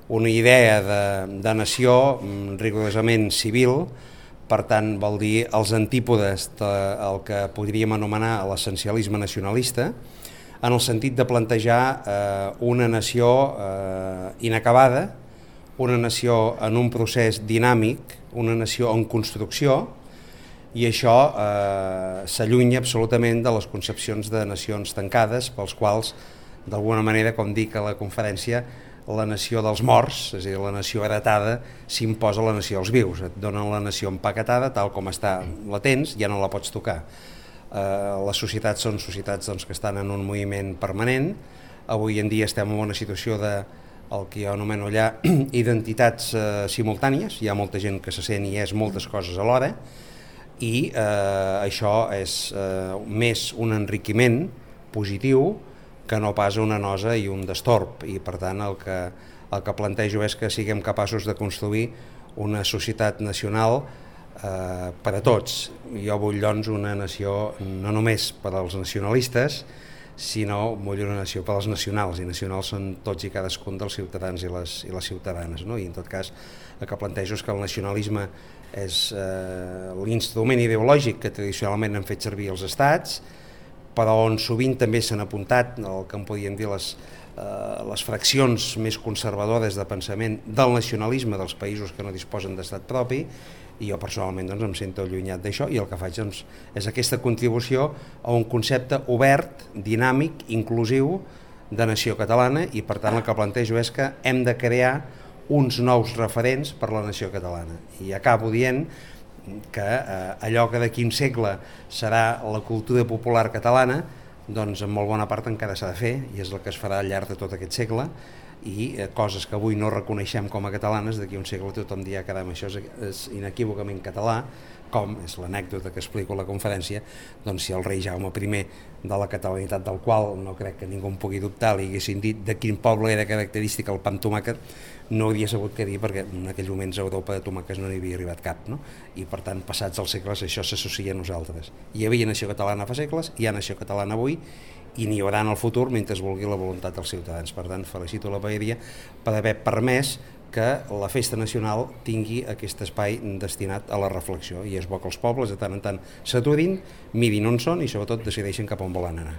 una idea de nació rigorosament civil, per tant vol dir els antípodes del que podríem anomenar l'essencialisme nacionalista, en el sentit de plantejar una nació inacabada, una nació en un procés dinàmic, una nació en construcció, i això s'allunya absolutament de les concepcions de nacions tancades, pels quals, d'alguna manera, com dic a la conferència, la nació dels morts, és a dir, la nació heretada, s'imposa a la nació dels vius. Et donen la nació empaquetada, tal com està, la tens, ja no la pots tocar. Les societats són societats que estan en un moviment permanent. Avui en dia estem en una situació de el que jo anomeno allà identitats simultànies. Hi ha molta gent que se sent i és moltes coses alhora, i això és més un enriquiment positiu que no pas una nosa i un destorb, i per tant el que plantejo és que siguem capaços de construir una societat nacional per a tots. Jo vull doncs una nació no només per als nacionalistes, sinó vull una nació per als nacionals, i nacionals són tots i cadascun dels ciutadans i les ciutadanes, no? I en tot cas el que plantejo és que el nacionalisme és l'instrument ideològic que tradicionalment han fet servir els estats, però on sovint també s'han apuntat el que en podíem dir les fraccions més conservadores de pensament del nacionalisme dels països que no disposen d'estat propi, i jo personalment em sento allunyat d'això, i el que faig és aquesta contribució a un concepte obert, dinàmic, inclusiu de nació catalana, i per tant el que plantejo és que hem de crear uns nous referents per la nació catalana. I acabo dient que allò que d'aquí un segle serà la cultura popular catalana, doncs en molt bona part encara s'ha de fer, i és el que es farà al llarg de tot aquest segle, i coses que avui no reconeixem com a catalanes, d'aquí un segle tothom dirà que això és inequívocament català, com és l'anècdota que explico a la conferència, doncs si el rei Jaume I, de la catalanitat del qual no crec que ningú en pugui dubtar, li haguessin dit de quin poble era característic el pa amb tomàquet, no hauria sabut què dir, perquè en aquells moments a Europa de tomàquets no n'hi havia arribat cap, no? I per tant, passats els segles, això s'associa a nosaltres. Hi havia nació catalana fa segles, hi ha nació catalana avui, i n'hi haurà en el futur mentre es vulgui la voluntat dels ciutadans. Per tant, felicito la paeria per haver permès que la festa nacional tingui aquest espai destinat a la reflexió, i és bo que els pobles de tant en tant s'aturin, mirin on són i sobretot decideixen cap on volen anar.